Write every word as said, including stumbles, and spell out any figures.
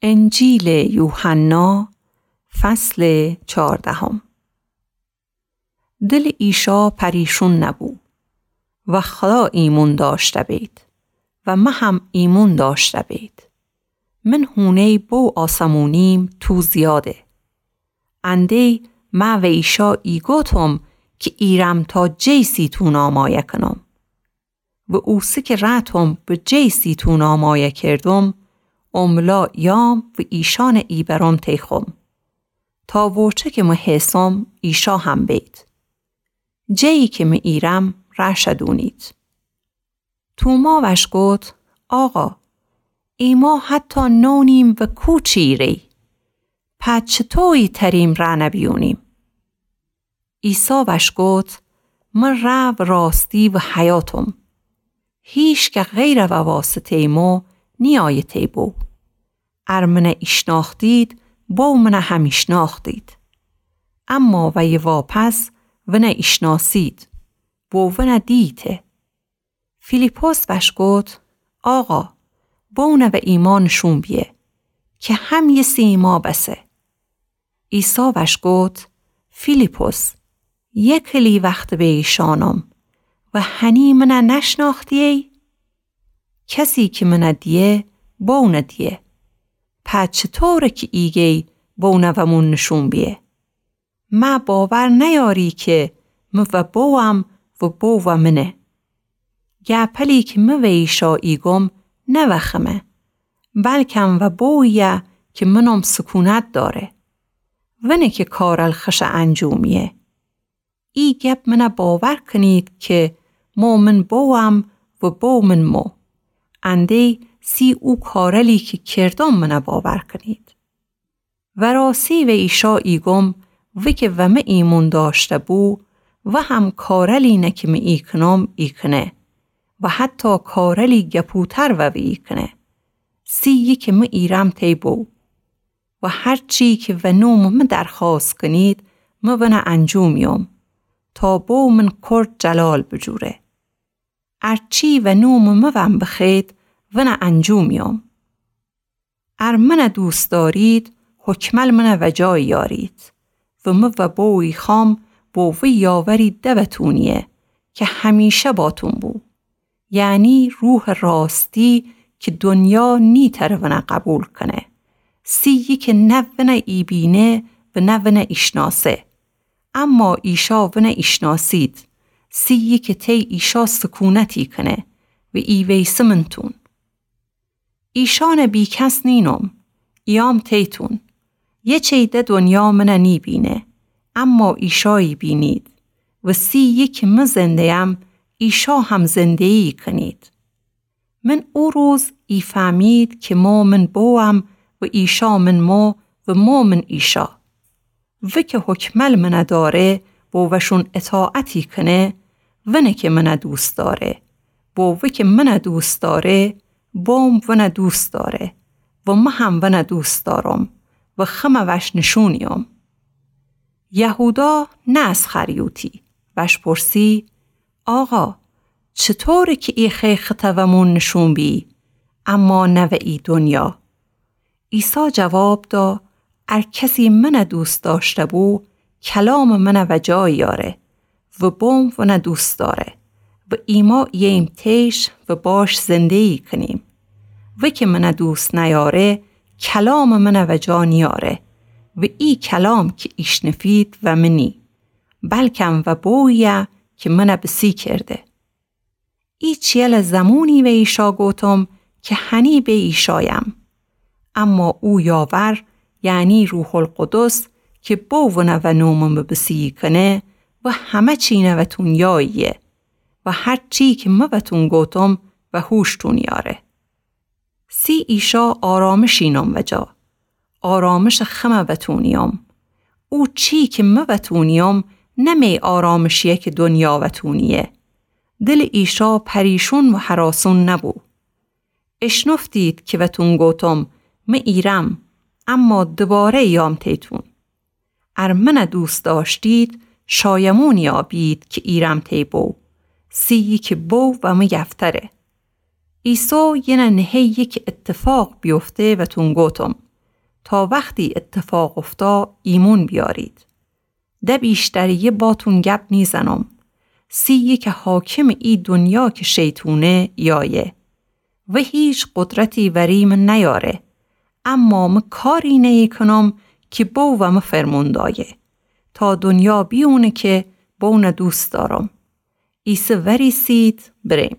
انجیلٚ یوحنا، فصلٚ چاردهم. دلٚ عیسی پریشون نبو و خدا ایمون دأشته بید و مه هم ایمون دأشته بید. من هونهی بو آسمونیم تو زیاده. اندی مه و عیسی ایگوتم کی ایرم تا جی سیتون آمایه کنم. و اوسه کی رأتم به جی سیتون آمایه کردم، املا یام و ایشأنٚ ایبرم تیخوم. تا ووچه کی مه هیسم عیسی هم بید. جیی کی مه ایرم رأ شدونید. توما وأش گوت، آقا، ایما حتی نونیم و کو چیری. په چطویی تریم رأ نبیونیم؟ عیسی وأش گوت، مه رأ و راستی و حیاتم. هیکس غیرٚ واسطهی مو نیأیه تی بو. ار منه ایشنأختید، بو منه هم ایشنأختید. اما ویی واپس ونه ایشنأسید و ونه دییته. فیلیپس وأش گوت، آقا، بو نوه ایما نشون بیه، کی هم یه سی ایما بسه. عیسی وأش گوت، فیلیپس، یه کلی وخت به ایشأنم و هنی منه نشنأختیی؟ کسی کی منه دیه، بو نه دیه. په چطوره کی ایگی بو نوه مون نشون بیه؟ مه باور نیأری کی مه و بوم و بو و منه. گپلی کی مه و ایشا ایگم نه وخمه، بلکم و بویه کی منم سکونت دأره. ونه کی کارل خشه انجومیه. ای گپ منه باور کنید کی مو من بوم و بو من مو. اندی سی او کارلی کی کردم منه باور کنید. وراسی و ایشا ایگم، وی کی و مه ایمون دأشته بو، وهم کارلی نه کی مه ایکنم ایکنه و حتی کارلی گپوتر و وی ایکنه. سی یکی مه ایرم تی بو. و هرچی کی و نومٚ مه درخوأست کنید، مه ونه انجومیوم، تا بو من کرد جلال بجوره. ارچی و نومٚ مه ون بخوید، ونه انجومیوم. ار منه دوست دأرید، حکمل منه وجا ایأرید. و مه و بو ایخوام بو وی یاوری دأوتونیه کی همیشه باتون بو. یعنی روحٚ راستی کی دنیا نیتأره ونه قبول کنه. سی یکی نه ونه ایبینه و نه ونه ایشناسه. اما ایشا ونه ایشناسید. سی یکی تی ایشا سکونت ایکنه و ایویسه منتون. ایشأنٚ بیکس نینم، ایام تیتون. یه چی ده دنیا منه نیبینه، اما ایشا ایبینید. و سی یکی مه زندهیم، ایشا هم زندهی ایکنید. من او روز ایفهمید کی مو من بوم و ایشا من مو و مو من ایشا. وی کی حکمل منه دأره، بو وشون اطاعت ایکنه، ونه کی منه دوست دأره. بو وی کی منه دوست دأره، بوم ونه دوست دأره و مه هم ونه دوست دأرم و خمه وش نشونیوم. یهودا، نه اسخریوطی، وش پرسی، آقا، چطوره کی ایخی خطه و مون نشون بیی، اما نه و ای دنیا؟ عیسی جواب دا، ار کسی منه دوست دأشته بو، کلامٚ منه وجا ایأره و بوم ونه دوست دأره و ایما اییم تیش و باش زندهی ایکنیم. وی کی منه دوست نیأره، کلامٚ منه وجا نیأره و ای کلام کی ایشنفید و منی، بلکم و بویه کی منه بسی کرده. ای چیله زمونی و ایشا گوتم کی هنی به ایشایم. اما او یاور، یعنی روح‌القدس، کی بو ونه و نومٚ مه بسی کنه و همه چی نوتون یاییه و هرچی کی مه وتون گوتم و هوشتون یاره. سی ایشا آرامش اینم وجا، آرامشٚ خمه وتونیوم. او چی کی مه وتونیوم، نه می آرامشیه کی دنیا وتونیه. دلٚ ایشا پریشون و هراسون نبو. اشنفتید کی وتون گوتم، مه ایرم، اما دوباره ایام تیتون. ار منه دوست دأشتید، شایمونی آبید کی ایرم تی بو، سی یکی بو و مه یفتره. عیسی، یینه نهه یکی اتفاق بیفته وتون گوتم، تا وختی ایتفاق اوفتا ایمون بیارید. ده بیشتریی باتون گب نیزنم. سیی که حاکمٚ ای دنیا که شیطونه یایه و هیچ قدرتی وری مه نیاره، اما مه کاری نیی کنم که بو و مه فرمون دایه، تا دنیا بیونه که بونه دوست دارم. ایسه وریسید بریم.